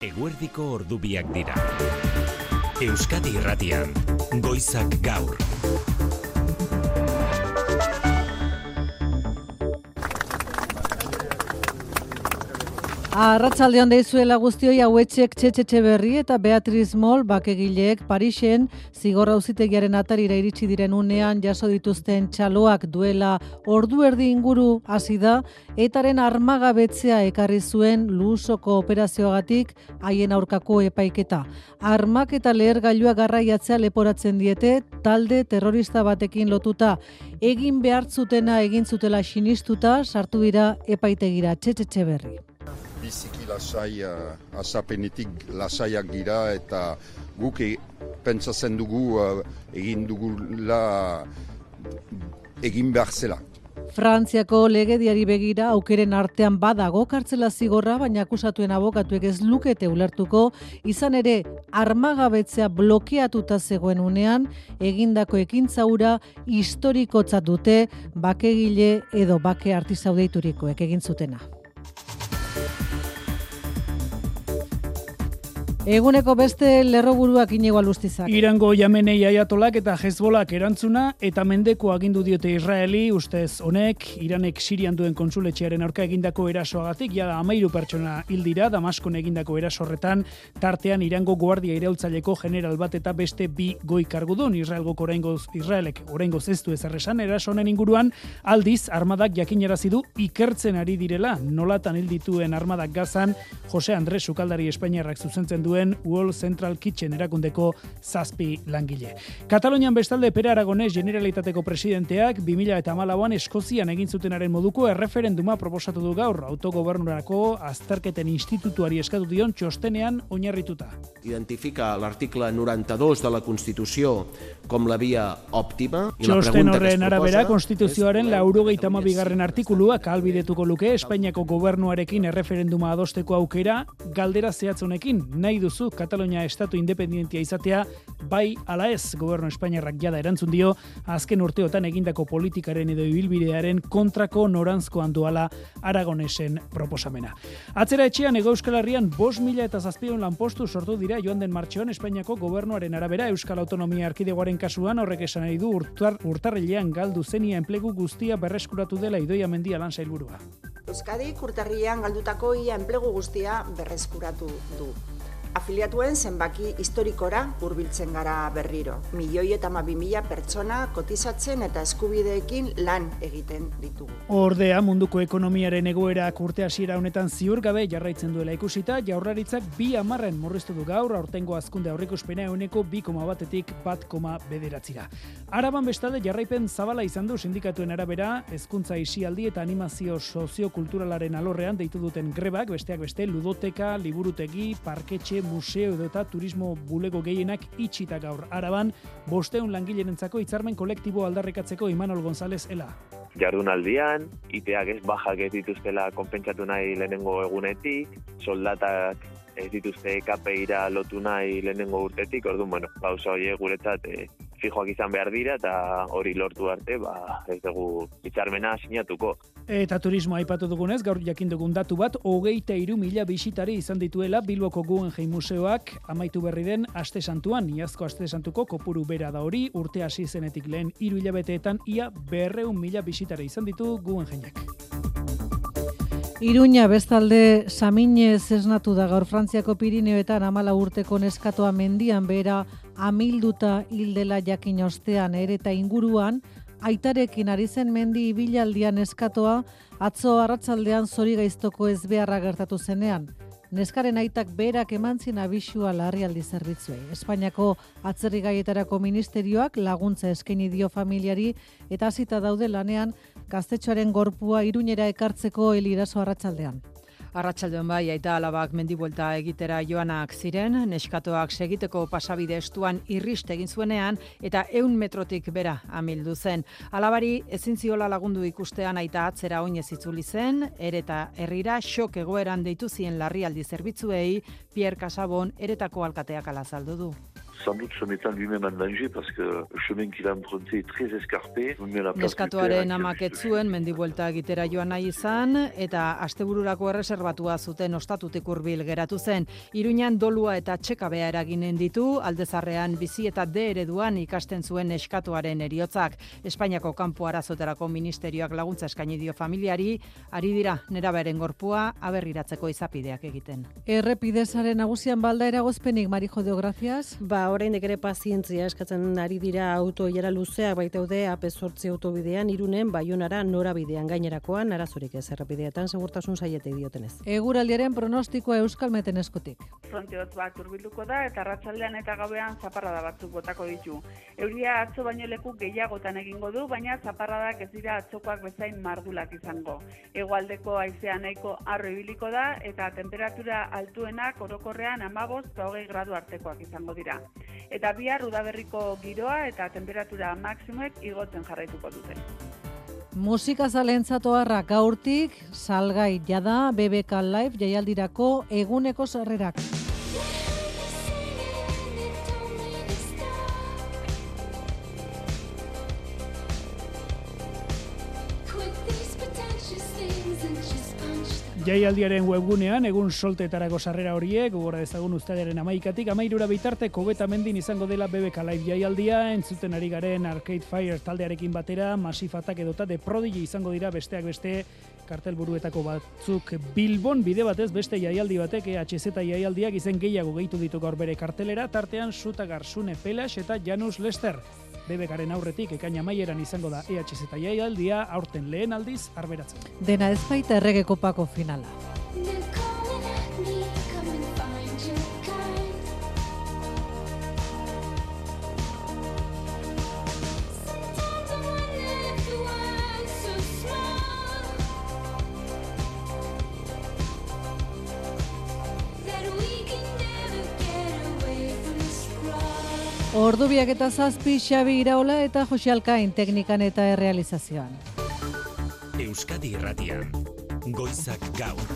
Eguerdiko ordubiak dira. Euskadi Irratian, Goizak Gaur. Arratsaldeon deizuela guztioi, hauetxek Txetxe Berri eta Beatriz Mol bakegileek Parisen zigor auzitegiaren atarira iritsi diren unean jaso dituzten txaloak duela ordu erdi inguru hasi da, etaren armagabetzea ekarri zuen Luusoko operazioagatik haien aurkako epaiketa. Armak eta lehergailua garraiatzea leporatzen diete talde terrorista batekin lotuta. Egin behartzutena egin zutela sinistuta sartu dira epaitegira. Txetxe Berri. Biziki lasai, azapenetik lasaiak dira eta guk pentsatzen dugu egin dugula egin behar zela. Frantziako legediari begira aukeren artean badago kartzela zigorra, baina akusatuen abokatuek ez lukete ulertuko, izan ere armagabetzea blokeatuta zegoen unean, egindako ekintza hura historikotzat dute bakegile edo bake artisau deiturikoek egin zutena. Eguneko beste lerroburuak Iñigo Alustizak. Irango Yamenei Ayatolak eta Hezbolak erantzuna eta mendeko agindu diote Israeli, ustez honek, Iranek Sirian duen konsuletxearen aurka egindako erasoagatik, jada 13 pertsona hil dira, Damaskon egindako eraso horretan, tartean Irango guardia iraultzaileko general bat eta beste 2 goi kargudun. Israelek oraingoz ez du ezer esan eraso honen inguruan, aldiz armadak jakinarazi du ikertzen ari direla, nolatan hil dituen armadak Gazan, Jose Andres sukaldari espainiarrak zuzentzen duen Wall Central Kitchen erakundeko 7 langile. Katalonian bestalde Pere Aragonés Generalitateko presidenteak 2014an Eskozian egin zutenaren moduko erreferenduma proposatu du gaur, autogobernurako azterketen institutuari eskatu dion txostenean oinarrituta. Identifica l'article 92 de la Constitució com la via òptima. Txosten horren arabera, Konstituzioaren 92. artikuluak ahalbidetuko luke Espainiako gobernuarekin erreferenduma adosteko aukera, galdera zehatz honekin, nahi duzu Katalonia estatu independentia izatea, bai ala ez. Gobernu espainiarrak jada erantzun dio, azken urteotan egindako politikaren edo ibilbidearen kontrako noranzkoan doala Aragonesen proposamena. Atzera etxean Hego Euskal Herrian 5.700 lanpostu sortu dira joan den martxoan Espainiako gobernuaren arabera. Euskal Autonomia Erkidegoaren kasuan horrek esan nahi du urtarrilean galdu zenia enplegu guztia berreskuratu dela Idoia Mendia lan sailburua. Euskadik urtarrilean galdutako ia enplegu guztia berreskuratu du. Afiliatuen zenbaki historikora hurbiltzen gara berriro. 1.012.000 pertsona kotizatzen eta eskubideekin lan egiten ditugu. Ordea, munduko ekonomiaren egoerak urte hasiera honetan ziurgabe jarraitzen duela ikusita, Jaurlaritzak 2,10 murriztu du gaur, aurtengo hazkunde aurreikuspena 2,2-tik 1,9. Araban bestalde jarraipen zabala izan du sindikatuen arabera, hezkuntza isialdi eta animazio soziokulturalaren alorrean deitu duten grebak, besteak beste ludoteka, liburutegi, parketxe, museo edo eta turismo bulego gehienak itxita gaur. Araban, 500 langilerentzako hitzarmen kolektibo aldarrikatzeko Imanol González ela. Jardunaldian, iteak ez bajak ez dituztela konpentsatu nahi lehenengo egunetik, soldatak ez dituzte KPIra lotu nahi lehenengo urtetik, orduan, gauza horiek guretzat fijoak izan behar dira eta hori lortu arte, ez dugu hitzarmena sinatuko. Eta turismoa aipatu dugunez, gaur jakin dugun datu bat, 23.000 bisitari izan dituela Bilboko Guggenheim Museoak amaitu berri den Aste Santuan. Iazko Aste Santuko kopuru bera da hori, urte hasi zenetik lehen 3 hilabeteetan ia 200.000 bisitari izan ditu Guggenheimek. Iruña bestalde Saminez esnatu da gaur. Frantziako Pirineoetan 14 urteko neskatoa mendian behera amilduta hildela jakin ostean eta inguruan, aitarekin ari zen mendi ibilaldian neskatoa atzo arratsaldean zorigaiztoko ezbeharra gertatu zenean. Neskaren aitak berak eman zien abisua larrialdi zerbitzuei. Espainiako atzerrigaietarako ministerioak laguntza eskaini dio familiari eta hasita daude lanean gaztetxoaren gorpua Iruñera ekartzeko eliraso arratsaldean. Arratsaldean bai, aita alabak mendibuelta egitera joanak ziren, neskatoak segiteko pasabide estuan irrist egin zuenean eta 100 metrotik bera amildu zen. Alabari ezin ziola lagundu ikustean aita atzera oinez itzuli zen, ereta herrira xok egoeran deitu zien larrialdi zerbitzuei, Pierre Casabon eretako alkateak ala azaldu du. sans doute se mettant lui-même en danger parce que le chemin qu'il a emprunté est très escarpé. Neskatuaren amak ez zuen mendibuelta egitera joan nahi izan eta astebururako erreserbatua zuten ostatutik hurbil geratu zen. Iruñan dolua eta txekabea eraginen ditu, Aldezarrean bizi eta D ereduan ikasten zuen neskatuaren heriotzak. Espainiako kanpo arazoterako ministerioak laguntza eskaini dio familiari, ari dira neraberen gorpua aberriratzeko izapideak egiten. Errepidezaren nagusian balda eragozpenik, Marijo de Gracias? Oraindik ere pazientzia eskatzen ari dira autoilara luzeak baitaude AP8 autobidean Irunen Baionara norabidean gainerakoan arazorik ez errepideetan segurtasun saietek diotenez. Eguraldiaren pronostikoa Euskalmeten eskutik. Fronte hotz bat hurbilduko da eta arratsaldean eta gauean zaparrada batzuk botako ditu. Euria atzo baino leku gehiagotan egingo du, baina zaparradak ez dira atzokoak bezain mardulak izango. Hegoaldeko haizea nahiko harro ibiliko da eta temperatura altuenak orokorrean 15 eta 20 gradu artekoak izango dira. Eta bihar udaberriko giroa eta temperatura maksimoek igotzen jarraituko dute. Musika zalentzatu harrak gaurtik, salgai jada BBK Live jaialdirako eguneko sarrerak. Jaialdiaren webgunean egun solteetarako sarrera horiek, gogora dezagun uztailaren 11tik 13 bitarteko Betamendin izango dela BBK Live jaialdia, entzuten ari garen Arcade Fire taldearekin batera, Massive Attack edota The Prodigy izango dira besteak beste kartelburuetako batzuk Bilbon bide batez beste jaialdi batek EHZ jaialdiak izen gehiago gehitu ditu gaur bere kartelera, tartean Suta Garzune Pelas eta Janus Lester. BBKaren aurretik ekaina amaieran izango da EHZ jaialdia, aurten lehen aldiz arberatzen. Dena ez baita errege kopako finala. Ordubiak eta 7, Xabi Iraola eta Jose Alkain teknikan eta errealizazioan. Euskadi Irratian, Goizak Gaur,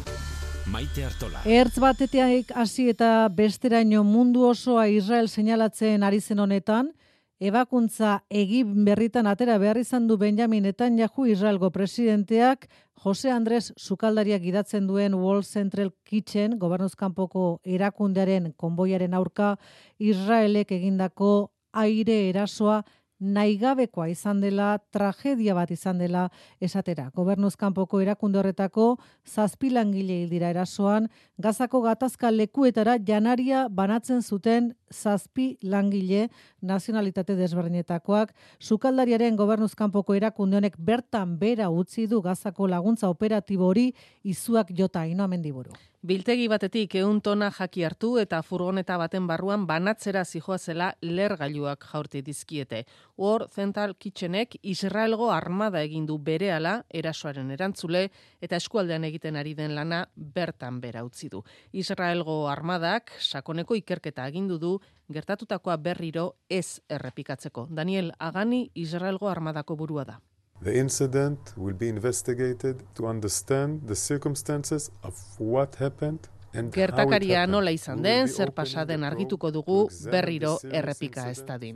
Maite Artola. Ertz batetik hasi eta besteraino mundu osoa Israel seinalatzen ari zen honetan, ebakuntza egin berritan atera behar izan du Benjamin Netanyahu Israelgo presidenteak Jose Andres Sukaldariak gidatzen duen Wall Central Kitchen gobernuzkanpoko erakundearen konboiaren aurka Israelek egindako aire erasoa naigabekoa izan dela, tragedia bat izan dela esatera. Gobernuzkanpoko erakunde horretako 7 langile hil dira erasoan, Gazako gatazka lekuetara janaria banatzen zuten 7 langile nazionalitate desberdinetakoak. Sukaldariaren gobernuzkanpoko erakunde honek bertan bera utzi du Gazako laguntza operatibo hori izuak jota Ainhoa Mendiburu. Biltegi batetik 100 tona jaki hartu eta furgoneta baten barruan banatzera zijoazela lergailuak jaurti dizkiete. Hor Central Kitchenek Israelgo armada egin du berehala erasoaren erantzule eta eskualdean egiten ari den lana bertan bera utzi du. Israelgo armadak sakoneko ikerketa agindu du gertatutakoa berriro ez errepikatzeko. Daniel Agani Israelgo armadako burua da. The incident will be investigated to understand the circumstances of what happened. Gertakaria nola izan den, zer pasaden argituko dugu berriro errepika ez dadin.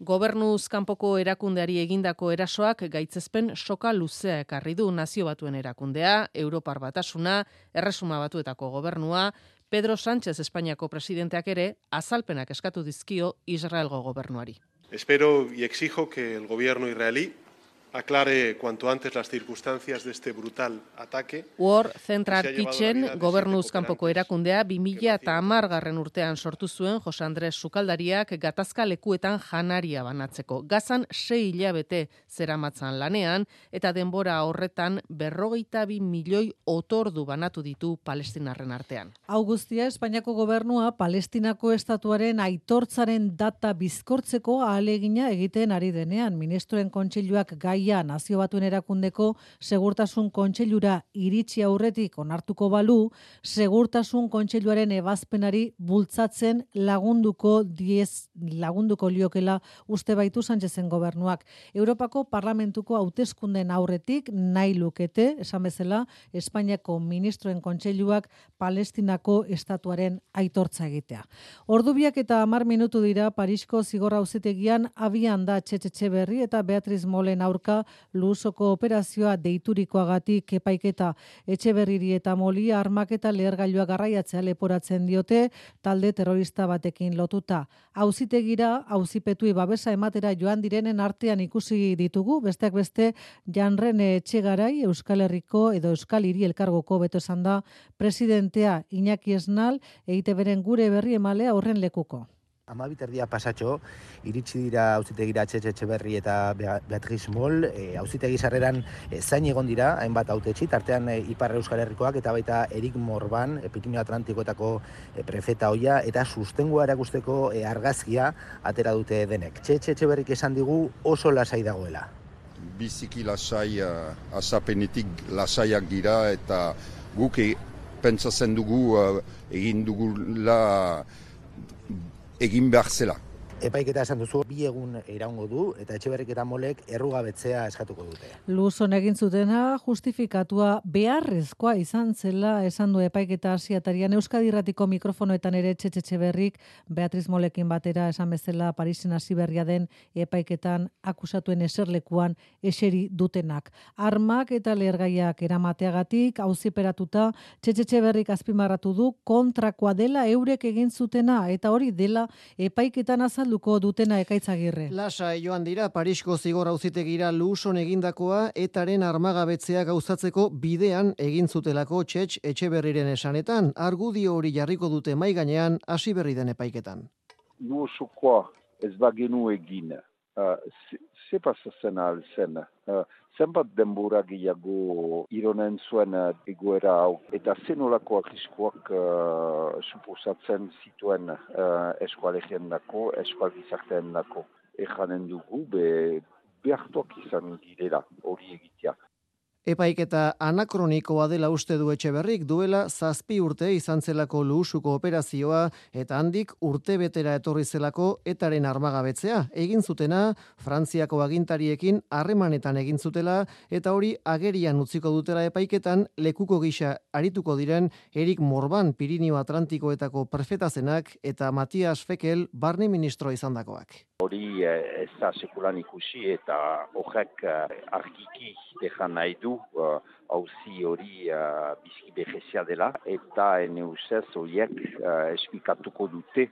Gobernuz kanpoko erakundeari egindako erasoak gaitzespen soka luzea ekarri du Nazio Batuen erakundea, Europar Batasuna, Erresuma Batuetako gobernua, Pedro Sánchez Espainiako presidenteak ere azalpenak eskatu dizkio Israelgo gobernuari. Espero y exijo que el gobierno israelí aclare cuanto antes las circunstancias de este brutal ataque. War Central Kitchen gobernuz kanpoko erakundea 2010 urtean sortu zuen Jose Andres Sukaldariak gatazka lekuetan janaria banatzeko. Gazan 6 hilabete zeramatzan lanean eta denbora horretan 42 milioi otordu banatu ditu palestinarren artean. Hau guztia Espainiako gobernua Palestinako estatuaren aitortzaren data bizkortzeko ahalegina egiten ari denean. Ministroen kontseiluak gai gaia Nazio Batuen Erakundeko Segurtasun Kontseilura iritsi aurretik onartuko balu, Segurtasun Kontseiluaren ebazpenari bultzatzen lagunduko liokela uste baitu Sánchezen gobernuak. Europako Parlamentuko hauteskunden aurretik nahi lukete, esan bezala, Espainiako Ministroen Kontseiluak Palestinako estatuaren aitortza egitea. Ordubiak eta 10 minutu dira Parisko zigor auzitegian abian da Txetxe Etxeberri eta Beatriz Molen aurka Luusoko operazioa deiturikoagatik epaiketa. Etxeberriri eta Moli armak eta lehergailua garraiatzea leporatzen diote talde terrorista batekin lotuta. Auzitegira auzipetui babesa ematera joan direnen artean ikusi ditugu, besteak beste Janrene Etxegarai Euskal Herriko edo Euskal Hiri Elkargoko beto esan da presidentea Iñaki Esnal EITBren gure berri emalea horren lekuko. 12 pasatxo, iritsi dira auzitegira Txetxe Etxeberri eta Beatriz Mol, auzitegi sarreran zain egon dira, hainbat hautetsi, tartean Ipar Euskal Herrikoak eta baita Erik Morban, Pirinio Atlantikoetako prefeta hoia, eta sustengua erakusteko argazkia atera dute denek. Txetxe Etxeberrik esan digu oso lasai dagoela. Biziki lasai, azapenetik lasaiak dira, eta guk pentsatzen dugu egin dugula egin behar zela. Epaiketa esan duzu, 2 egun iraungo du eta Etxeberrik eta Molek errugabetzea eskatuko dute. Luzon egin zutena justifikatua beharrezkoa izan zela esan du epaiketa hasiatarian. Euskadi Irratiko mikrofonoetan ere Txetxe Etxeberrik Beatriz Molekin batera esan bezala Parisen hasi berria den epaiketan akusatuen eserlekuan eseri dutenak. Armak eta lehergaiak eramateagatik auziperatuta Txetxe Etxeberrik azpimarratu du kontrakoa dela eurek egin zutena eta hori dela epaiketan azalduko dutena Ekaitzagirre. Lasai joan dira Parisko zigor auzitegira Luuson egindakoa etaren armagabetzea gauzatzeko bidean egin zutelako Txetxe Etxeberriren esanetan, argudio hori jarriko dute mai gainean hasi berri den epaiketan. Luusokoa ez bagenu egin, ze pasatzen alzen, zenbat denbora gehiago ironen zuen egoera hau, eta zenolako arriskoak suposatzen zituen eskualegien dako, eskual gizarteen dako. Ejanen dugu, behartuak izan girela hori egitea. Epaiketa anakronikoa dela uste du Etxeberrik, duela 7 urte izan zelako Luusuko operazioa eta handik urte betera etorri zelako etaren armagabetzea. Egin zutena, Frantziako agintariekin harremanetan egin zutela eta hori agerian utziko dutela epaiketan lekuko gisa arituko diren Erik Morban Pirinio Atlantikoetako prefetazenak eta Matias Fekel barne ministro izandakoak. Hori ez da sekulan ikusi eta horrek argiki dejan nahi du auzi hori bizki behezia dela eta neuzez horiek esplikatuko dute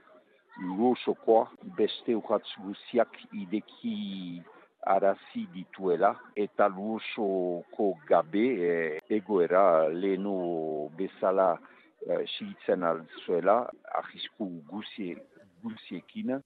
Luusokoa beste urratz guziak ideki arazi dituela eta Luusoko gabe egoera lehenu bezala sigitzen alzuela arrisku guziekin.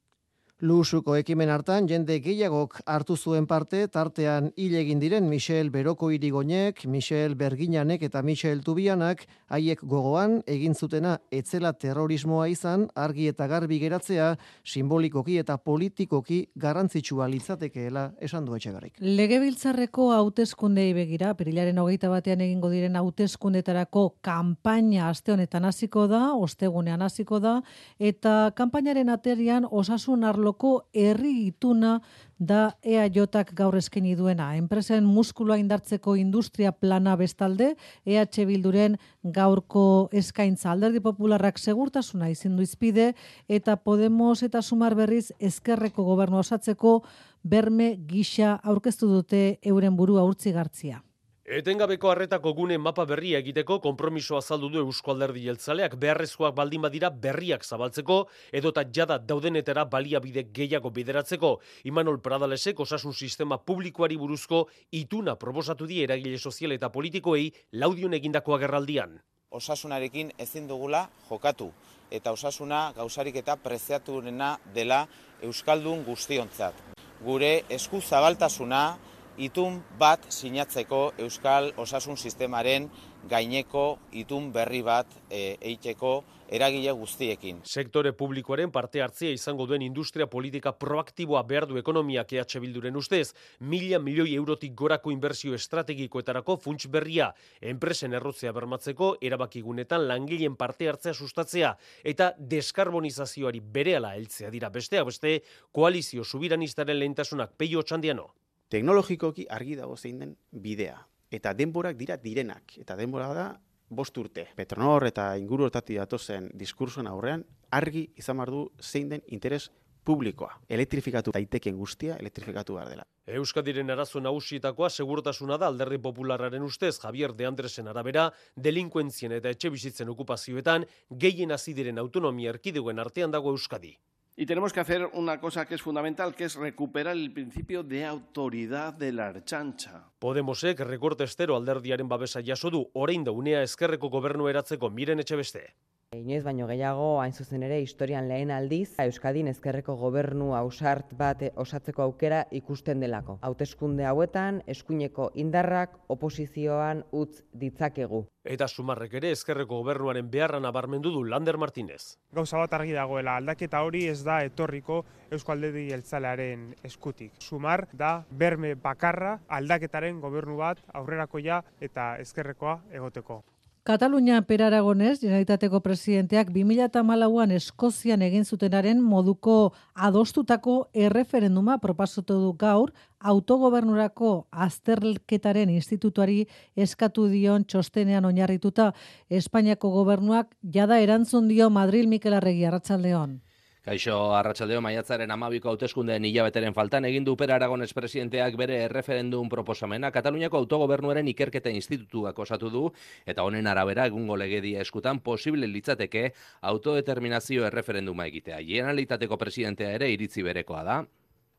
Luusuko ekimen hartan jende gehiagok hartu zuen parte, tartean hil egin diren Michel Beroko Irigoinek, Michel Berginanek eta Michel Tubianak, haiek gogoan egin zutena etzela terrorismoa izan, argi eta garbi geratzea, simbolikoki eta politikoki garrantzitsua litzatekeela esan du Etxeberrik. Legebiltzarreko hauteskundei begira, apirilaren 21 egingo diren hauteskundetarako kanpaina aste honetan hasiko da, ostegunean hasiko da, eta kanpainaren aterian osasun arloko herri ituna da EAJak gaur eskaini duena. Enpresen muskuloa indartzeko industria plana bestalde, EH Bilduren gaurko eskaintza. Alderdi Popularrak segurtasuna izin du izpide eta Podemos eta Sumar berriz ezkerreko gobernua osatzeko berme gisa aurkeztu dute euren burua urtzigartzia. Etengabeko harretako gune mapa berria egiteko konpromisoa azaldu du Eusko Alderdi Jeltzaleak, beharrezkoak baldin badira berriak zabaltzeko edota jada daudenetara baliabide gehiago bideratzeko. Imanol Pradalesek osasun sistema publikoari buruzko ituna proposatu die eragile sozial eta politikoei Laudion egindako agerraldian. Osasunarekin ezin dugula jokatu eta osasuna gauzarik eta preziaturena dela euskaldun guztiontzat. Gure esku zabaltasuna itun bat sinatzeko Euskal Osasun Sistemaren gaineko itun berri bat eiteko eragile guztiekin. Sektore publikoaren parte hartzea izango duen industria politika proaktiboa behar du ekonomiak EH Bilduren ustez, 1.000 milioi eurotik gorako inbertsio estrategikoetarako funts berria, enpresen errotzea bermatzeko, erabakigunetan langileen parte hartzea sustatzea eta deskarbonizazioari berehala heltzea dira besteak beste koalizio subiranistaren lehentasunak. Peio Otxandiano. Teknologikoki argi dago zein den bidea. Eta denborak dira direnak. Eta denbora da 5 urte. Petronor eta inguru hortatik datozen diskursoen aurrean argi izan behar du zein den interes publikoa. Elektrifikatu daiteken guztia, elektrifikatu behar dela. Euskadiren arazo nagusietakoa segurtasuna da Alderdi Popularraren ustez Javier de Andresen arabera, delinkuentzien eta etxebizitzen okupazioetan gehien hasi diren autonomia erkidegoen artean dago Euskadi. Y tenemos que hacer una cosa que es fundamental, que es recuperar el principio de autoridad de la Ertzaintza. Podemosek rekorte estero alderdiaren babesa jaso du, orain da unea ezkerreko gobernu eratzeko. Miren Etxebeste. Inoiz baino gehiago, hain zuzen ere, historian lehen aldiz, Euskadin ezkerreko gobernu ausart bat osatzeko aukera ikusten delako. Hauteskunde hauetan, eskuineko indarrak oposizioan utz ditzakegu. Eta Sumarrek ere ezkerreko gobernuaren beharra nabarmendu du Lander Martínez. Gauza bat argi dagoela, aldaketa hori ez da etorriko Eusko Alderdi Jeltzalearen eskutik. Sumar da berme bakarra aldaketaren gobernu bat aurrerakoia eta ezkerrekoa egoteko. Katalunia Per Aragonés, Generalitateko presidenteak 2014an Eskozian egin zutenaren moduko adostutako erreferenduma proposatu du gaur, autogobernurako azterketaren institutuari eskatu dion txostenean oinarrituta. Espainiako gobernuak jada erantzun dio Madril. Mikel Arregi, arratsaldeon. Kaixo, arratsaldeo, maiatzaren 12ko hauteskundeen hilabeteren faltan egin du Per Aragonés presidenteak bere erreferendum proposamena. Kataluniako autogobernuaren ikerketa institutuak osatu du, eta honen arabera egungo legedia eskutan posible litzateke autodeterminazio erreferenduma egitea. Generalitateko presidentea ere iritzi berekoa da.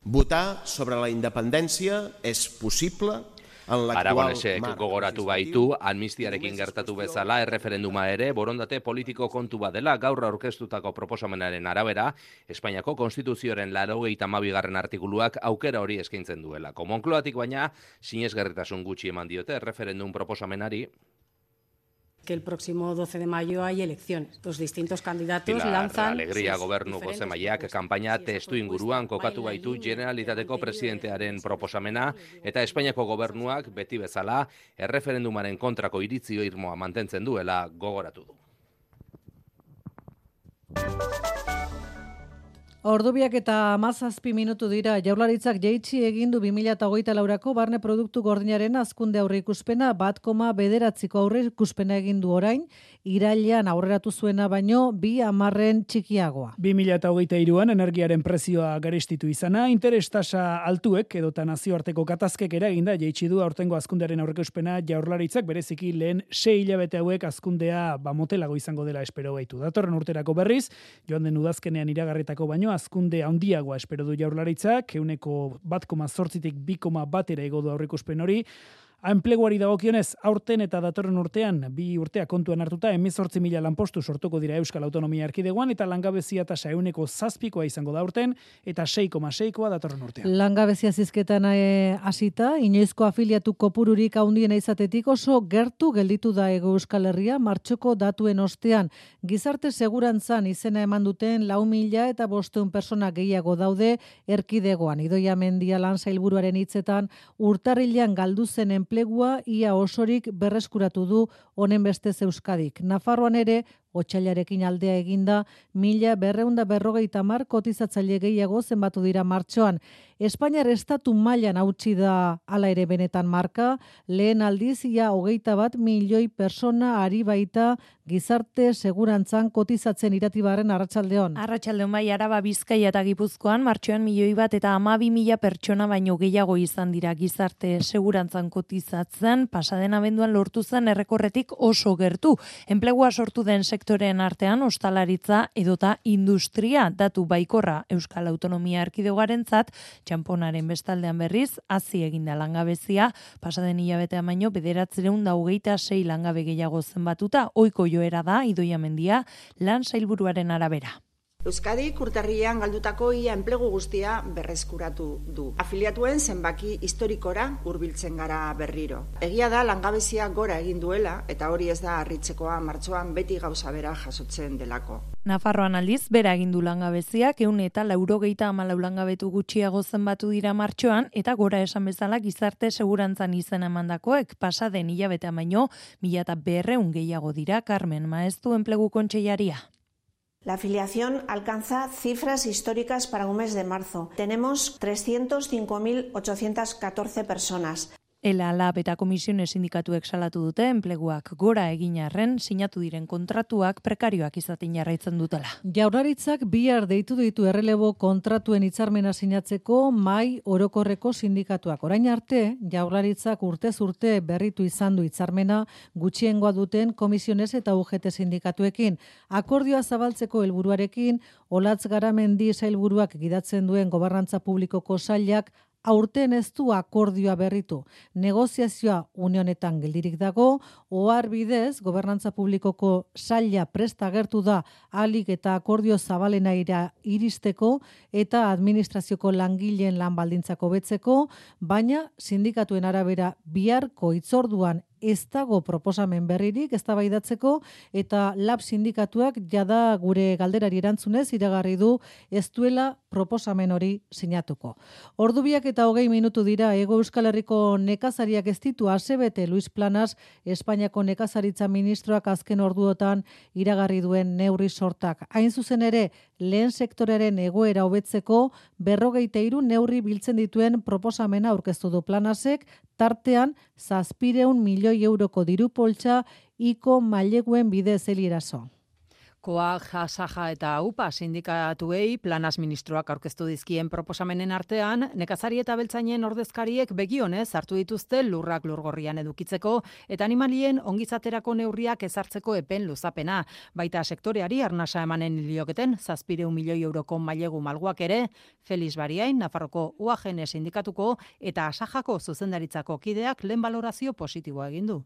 Votar sobre la independència és possible. Aragonesek gogoratu baitu, amnistiarekin gertatu bezala erreferenduma ere borondate politiko kontu badela. Gaur aurkeztutako proposamenaren arabera, Espainiako Konstituzioaren 82. artikuluak aukera hori eskaintzen duelako. Moncloatik baina sinesgarritasun gutxi eman diote erreferendum proposamenari. Que el próximo 12 de mayo hay elecciones. Los distintos candidatos Pilar lanzan... Alegria gobernu bozemaileak kanpaina testu inguruan kokatu baitu Generalitateko presidentearen proposamena eta Espainiako gobernuak beti bezala erreferendumaren kontrako iritzio irmoa mantentzen duela gogoratu du. Ordubiak eta 17 minutu dira. Jaurlaritzak jaitsi egin du 2024ko barne produktu gordinaren hazkunde aurreikuspena 1,9ko aurreikuspena egin du orain, irailean aurreratu zuena baino 2,10 txikiagoa. 2023an energiaren prezioa garestitu izana, interes tasa altuek edota nazioarteko katazkek eraginda jaitsi du aurtengo hazkundearen aurreikuspena Jaurlaritzak bereziki lehen 6 hilabete hauek hazkundea motelago izango dela espero baitu. Datorren urterako berriz, joan den udazkenean iragarritako baino hazkunde handiagoa espero du Jaurlaritzak, 1,8tik 2,1 igo du aurreikuspen hori. Enpleguari dagokionez, aurten eta datorren urtean, 2 urtea kontuan hartuta, 18.000 lanpostu sortuko dira Euskal Autonomia Erkidegoan, eta langabezia tasa 7,7koa izango da aurten, eta 6,6koa datorren urtean. Langabezia zizketan hasita, inoizko afiliatu kopururik handiena izatetik oso gertu gelditu da Hego Euskal Herria martxoko datuen ostean. Gizarte segurantzan izena eman duten 4.500 persona gehiago daude erkidegoan. Idoia Mendia lan sailburuaren hitzetan, urtarrilean galdu zen enplegua ia osorik berreskuratu du honen bestez Euskadik. Nafarroan ere, otsailarekin aldea eginda, 1.250 kotizatzaile gehiago zenbatu dira martxoan. Espainiar estatu mailan hautsi da hala ere benetan marka, lehen aldiz ia 21 milioi persona ari baita gizarte segurantzan kotizatzen Iratibarren arratsaldeon. Arratsaldeon bai, Araba, Bizkaia eta Gipuzkoan martxoan 1.000.000 eta 12.000 pertsona baino gehiago izan dira gizarte segurantzan kotizatzen, pasaden abenduan lortu zen errekorretik oso gertu. Enplegua sortu den sektoren artean ostalaritza edota industria datu baikorra Euskal Autonomia Erkidegoarentzat, txamponaren bestaldean berriz, hazi eginda langabezia, pasaden hilabetean baino 926 langabe gehiago zenbatuta, ohiko joera da, Idoia Mendia, lan sailburuaren arabera. Euskadik urtarrilean galdutako ia enplegu guztia berreskuratu du. Afiliatuen zenbaki historikora hurbiltzen gara berriro. Egia da langabezia gora egin duela eta hori ez da harritzekoa, martxoan beti gauza bera jasotzen delako. Nafarroan aldiz, bera egin du langabeziak, 194 langabetu gutxiago zenbatu dira martxoan, eta gora esan bezala gizarte segurantzan izena emandakoek pasaden hilabetean baino 1200 gehiago dira. Carmen Maeztu enplegu kontseilaria. La afiliación alcanza cifras históricas para un mes de marzo. Tenemos 305.814 personas. Lab eta komisiones sindikatuek salatu dute enpleguak gora egin arren sinatu diren kontratuak prekarioak izaten jarraitzen dutela. Jaurlaritzak bihar deitu ditu errelebo kontratuen hitzarmena sinatzeko mahai orokorreko sindikatuak. Orain arte, Jaurlaritzak urtez urte berritu izan du hitzarmena gutxiengoa duten komisiones eta UGT sindikatuekin. Akordioa zabaltzeko helburuarekin, Olatz Garamendi sailburuak gidatzen duen gobernantza publikoko sailak aurten ez du akordioa berritu. Negoziazioa une honetan geldirik dago, ohar bidez gobernantza publikoko saila prest agertu da ahalik eta akordio zabalena iristeko eta administrazioko langileen lan baldintzak hobetzeko, baina sindikatuen arabera biharko hitzorduan ez dago proposamen berririk eztabaidatzeko eta Lab sindikatuak jada gure galderari erantzunez iragarri du ez duela proposamen hori sinatuko. Ordubiak eta 20 minutu dira. Hego Euskal Herriko nekazariak ez ditu asebete. Luis Planas, Espainiako nekazaritza ministroak azken orduotan iragarri duen neurri sortak. Hain zuzen ere, lehen sektorearen egoera hobetzeko 43 neurri biltzen dituen proposamena aurkeztu du Planasek, tartean 700 milioi euroko diru poltsa iko maileguen bidez Elieraso. Koa, Jasaja eta UPA sindikatuei Planas ministroak aurkeztu dizkien proposamenen artean, nekazari eta beltzainen ordezkariek begionez hartu dituzte lurrak lurgorrian edukitzeko eta animalien ongizaterako neurriak ezartzeko epen luzapena. Baita sektoreari arnasa emanen lioketen 700 milioi euroko mailegu malguak ere, Feliz Bariain, Nafarroko UAGN sindikatuko eta Asajako zuzendaritzako kideak lehen balorazio positiboa egin du.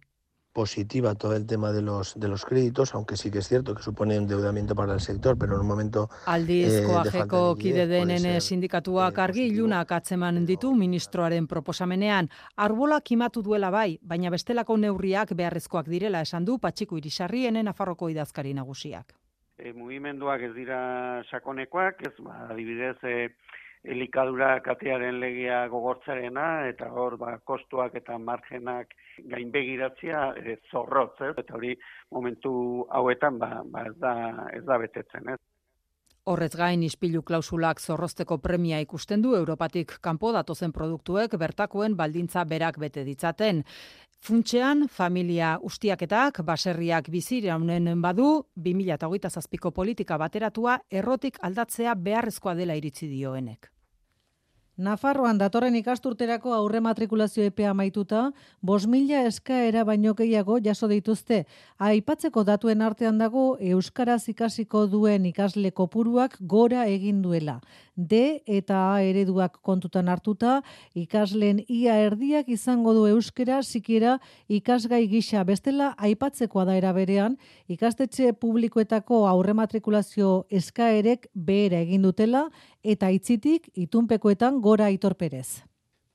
Positiva todo el tema de los créditos, aunque sí que es cierto que supone endeudamiento para el sector, pero en un momento Aldiz koajeko kide denen sindikatuak argi ilunak atzeman ditu ministroaren proposamenean. Arbolak kimatu duela bai, baina bestelako neurriak beharrezkoak direla esan du Patxiku Irisarri Nafarroko idazkari nagusiak. Mugimenduak ez dira sakonekoak, ez adibidez elikadura katearen legea gogortzarena eta hor kostuak eta margenak gainbegiratzea zorrotz, eta hori momentu hauetan ez da betetzen, ez. Horrez gain ispilu klausulak zorrozteko premia ikusten du Europatik kanpo datozen produktuek bertakoen baldintza berak bete ditzaten. Funtsean, familia ustiaketak, baserriak biziraunen badu, 2027ko politika bateratua errotik aldatzea beharrezkoa dela iritzi dioenek. Nafarroan datorren ikasturterako aurre matrikulazio epea amaituta, 5.000 eskaera baino gehiago jaso dituzte. Aipatzeko datuen artean dago euskaraz ikasiko duen ikasle kopuruak gora egin duela. D eta A ereduak kontutan hartuta, ikasleen ia erdiak izango du euskera sikiera ikasgai gisa. Bestela aipatzekoa da era berean, ikastetxe publikoetako aurre matrikulazio eskaerek behera egin dutela eta itzitik itunpekoetan gora Aitor Perez.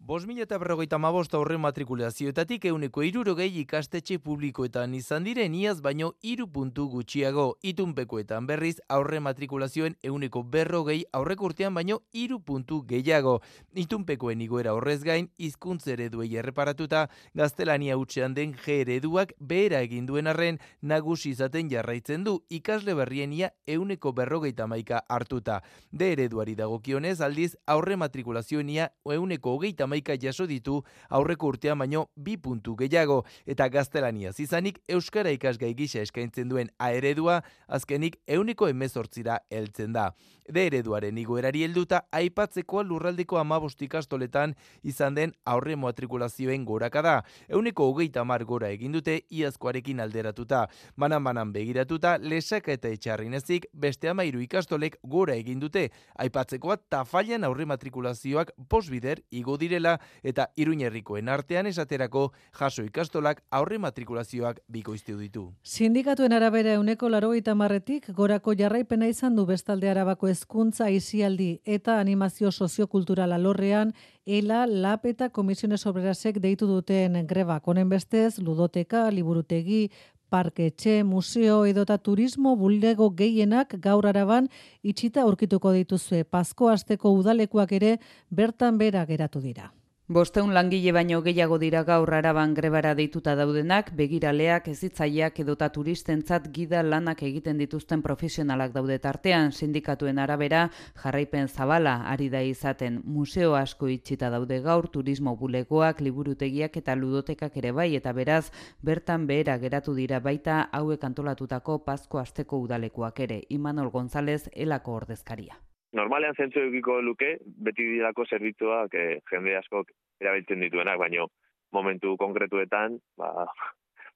5.055 aurre matrikulazioetatik 160 ikastetxe publikoetan izan diren iaz baino 3 puntu gutxiago. Itunpekoetan berriz aurre matrikulazioen 140 aurreko urtean baino 3 puntu gehiago. Itunpekoen igoera horrez gain, hizkuntz ereduei erreparatuta, gaztelania hutsean den G ereduak behera egin duen arren nagusi izaten jarraitzen du, ikasle berrien ia 151 hartuta. D ereduari dagokionez aldiz aurre matrikulazioen ia 130 jaso ditu aurreko urtean baino 2 puntu gehiago eta gaztelaniaz izanik euskara ikasgai gisa eskaintzen duen A eredua azkenik 118ra heltzen da. D ereduaren igoerari helduta aipatzekoa lurraldeko 15 ikastoletan izan den aurre matrikulazioen gorakada. 130 gora egin dute iazkoarekin alderatuta. Banan begiratuta Lesaka eta Etxarrinezik beste 13 ikastolek gora egin dute. Aipatzekoa Tafallan aurre matrikulazioak 5 bider igo direla. duela eta Iruñerrikoen artean esaterako jaso ikastolak aurre matrikulazioak bikoiztu ditu. Sindikatuen arabera 90%tik gorako jarraipena izan du bestalde Arabako hezkuntza, aisialdi eta animazio soziokultural alorrean ELA, LAB eta Komisiones Obrerasek deitu duten grebak. Honen bestez, ludoteka, liburutegi, parketxe, museo edota turismo bulego gehienak gaur Araban itxita aurkituko dituzue. Pasko asteko udalekuak ere bertan bera geratu dira. 500 langile baino gehiago dira gaur Araban grebara deituta daudenak, begiraleak, hezitzaileak edota turistentzat gida lanak egiten dituzten profesionalak daude tartean. Sindikatuen arabera jarraipen zabala ari da izaten. Museo asko itxita daude gaur, turismo bulegoak, liburutegiak eta ludotekak ere bai, eta beraz bertan behera geratu dira baita hauek antolatutako Pasko asteko udalekuak ere. Imanol González, ELako ordezkaria. Normalean zentzu edukiko luke, beti dirako zerbitzuak jende askok erabiltzen dituenak, baino momentu konkretuetan,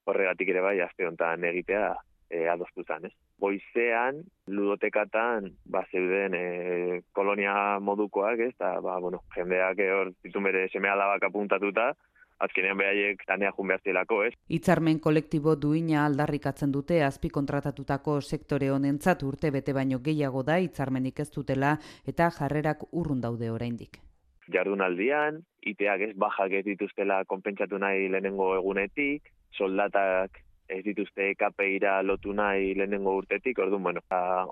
horregatik ere bai, aste honetan egitea adostu zen, ez? Goizean, ludotekatan, zeuden kolonia modukoak, ez? Eta, jendeak hor ditu bere seme-alabak apuntatuta, azkenean behaiek tanea jun behar zielako, ez? Hitzarmen kolektibo duina aldarrikatzen dute azpi kontratatutako sektore honentzat urte bete baino gehiago da hitzarmenik ez dutela eta jarrerak urrun daude oraindik. Jardunaldian, iteak ez bajak ez dituztela konpentsatu nahi lehenengo egunetik, soldatak ez dituzte KPIra lotu nahi lehenengo urtetik, orduan,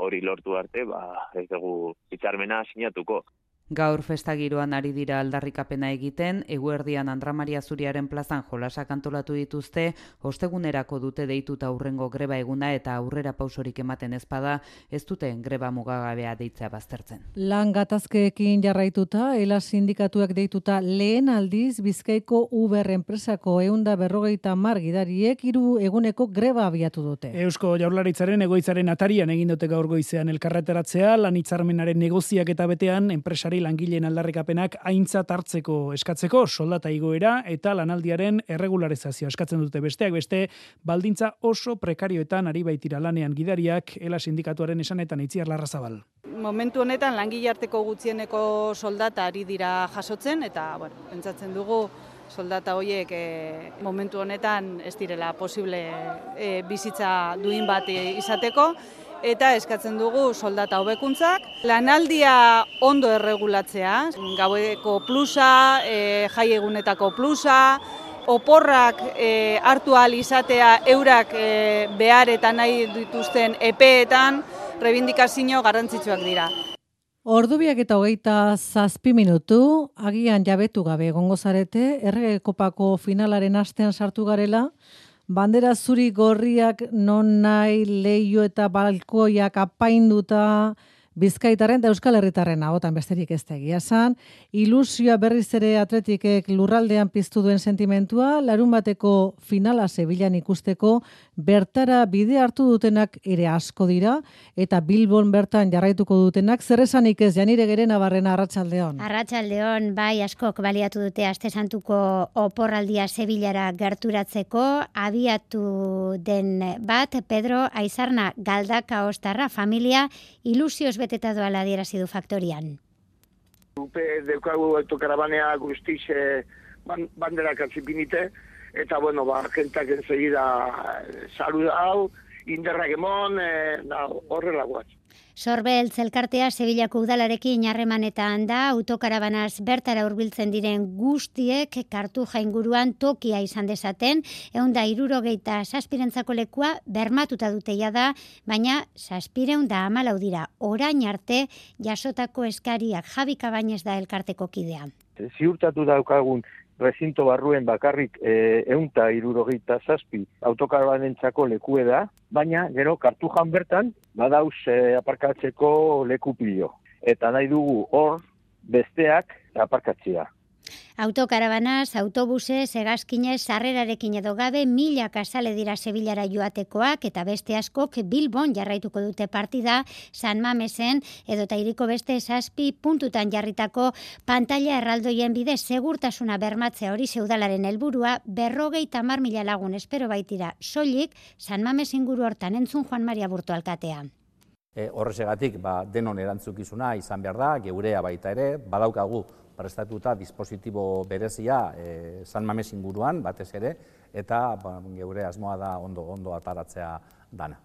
hori lortu arte, ez dugu hitzarmena sinatuko. Gaur festagiroan ari dira aldarrikapena egiten, eguerdian Andra Maria Zuriaren plazan jolasak antolatu dituzte, ostegunerako dute deituta aurrengo greba eguna eta aurrera pausorik ematen ezpada, ez duten greba mugagabea deitzea baztertzen. Lan gatazkeekin jarraituta, ELA sindikatuak deituta lehen aldiz Bizkaiko Uber enpresako 150 gidariek 3 eguneko greba abiatu dute. Eusko Jaurlaritzaren egoitzaren atarian egin dute gaur goizean elkarreteratzea, lan hitzarmenaren negoziak eta betean enpresari langileen aldarrikapenak aintzat hartzeko eskatzeko, soldata igoera eta lanaldiaren erregularizazioa eskatzen dute besteak beste, baldintza oso prekarioetan ari baitira lanean gidariak, ELA sindikatuaren esanetan Itziar Larrazabal. Momentu honetan langile arteko gutxieneko soldata ari dira jasotzen eta, pentsatzen dugu soldata horiek momentu honetan ez direla posible bizitza duin bat izateko. Eta eskatzen dugu soldata hobekuntzak, lanaldia ondo erregulatzea, gaueko plusa, jai egunetako plusa, oporrak hartu ahal izatea eurak behar eta nahi dituzten epeetan, reibindikazio garrantzitsuak dira. Ordubiak eta 27 minutu, agian jabetu gabe egongo zarete, Errege Kopako finalaren astean sartu garela, bandera zuri gorriak non nahi leio eta balkoiak apainduta Bizkaitaren eta Euskal Herritarren ahotan besterik ez da egia esan. Ilusioa berriz ere Atletikek lurraldean piztu duen sentimentua, larunbateko finala Sevillan ikusteko bertara bide hartu dutenak ere asko dira eta Bilbon bertan jarraituko dutenak zer esanik ez Janire Gerena Barrena arratsaldeon. Arratsaldeon bai askok baliatu dute Aste Santuko oporraldia Sevillara gerturatzeko, abiatu den bat Pedro Aizarna Galdaka Ostarra familia ilusioz beteta doala adierazi du Faktorian. Upe deukagu autokarabanea guztiz banderak atzipinite, eta jentak ensegida saluda hau, inderrak emon, horrela guaz. Sorbeltz elkartea Sevillako udalarekin harremanetan da, autokarabanaz bertara hurbiltzen diren guztiek Kartuja inguruan tokia izan dezaten, 167 lekua bermatuta dute da, baina 714 dira. Orain arte jasotako eskariak. Javi Cabañez da elkarteko kidea. Ziurtatu daukagun rezinto barruen bakarrik 167 autokarabanentzako lekue da, baina gero Kartujan bertan badauz aparkatzeko leku pilo. Eta nahi dugu hor besteak aparkatzea. Autokarabanaz, autobusez, hegazkinez, sarrerarekin edo gabe, 1000 kasale dira Sevillara joatekoak eta beste askok Bilbon jarraituko dute partida, San Mamesen edota hiriko beste 7 puntutan jarritako pantaila erraldoien bidez segurtasuna bermatzea hori udalaren helburua, 50.000 lagun espero baitira soilik San Mames inguru hortan entzun Juan Maria Burto alkatea. Horrezegatik denon erantzukizuna izan behar da, geurea baita ere, badaukagu prestatuta dispositibo berezia San Mames inguruan, batez ere, eta geure asmoa da ondo ataratzea dana.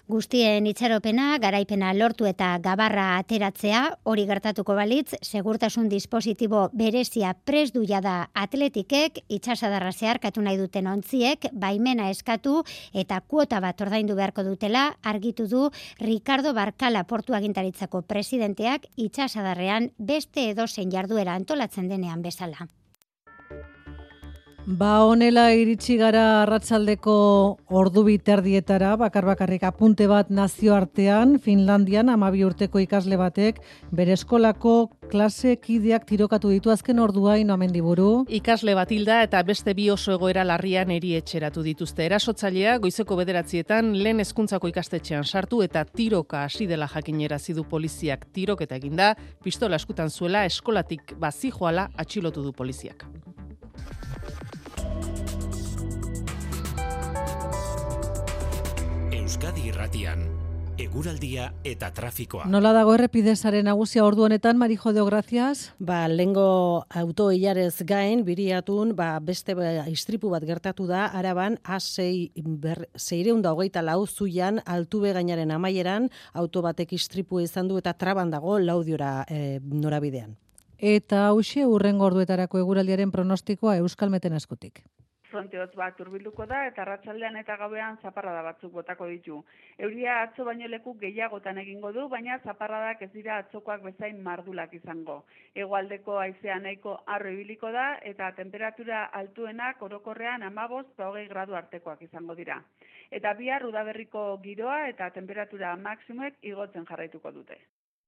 Guztien itxaropena, garaipena lortu eta gabarra ateratzea, hori gertatuko balitz, segurtasun dispositibo berezia prest du jada atletikek, itxasadarra zeharkatu nahi duten ontziek, baimena eskatu eta kuota bat ordaindu beharko dutela, argitu du Ricardo Barkala Portu Agintaritzako presidenteak itxasadarrean beste edozein jarduera antolatzen denean bezala. Honela iritsi gara arratsaldeko ordu biterdietara, bakarrik apunte bat nazioartean, Finlandian 12 urteko ikasle batek bere eskolako klase kideak tirokatu ditu azken orduain Mendiburu. Ikasle bat hilda eta beste 2 oso egoera larrian erietxeratu dituzte. Erasotzailea goizeko 9 lehen hezkuntzako ikastetxean sartu eta tiroka hasi dela jakinerazi du poliziak. Tiroketa eginda, pistola eskutan zuela eskolatik bazijoala atxilotu du poliziak. Euskadi Irratian, eguraldia eta trafikoa. Nola dago errepidesaren nagusia ordu honetan, Marijo de Gracias? Lengo autoilarez gain, biriatun, beste istripu bat gertatu da, Araban, A624 zuian, Altube gainaren amaieran, auto batek istripu izan du eta traban dago Laudiora norabidean. Eta hauxe hurrengo orduetarako eguraldiaren pronostikoa Euskalmeten eskutik. Fronte hotz bat hurbilduko da eta arratsaldean eta gauean zaparrada batzuk botako ditu. Euria atzo baino leku gehiagotan egingo du, baina zaparradak ez dira atzokoak bezain mardulak izango. Hegoaldeko haizea nahiko harro ibiliko da eta temperatura altuenak orokorrean 15-20 gradu artekoak izango dira. Eta bihar udaberriko giroa eta temperatura maksimoek igotzen jarraituko dute.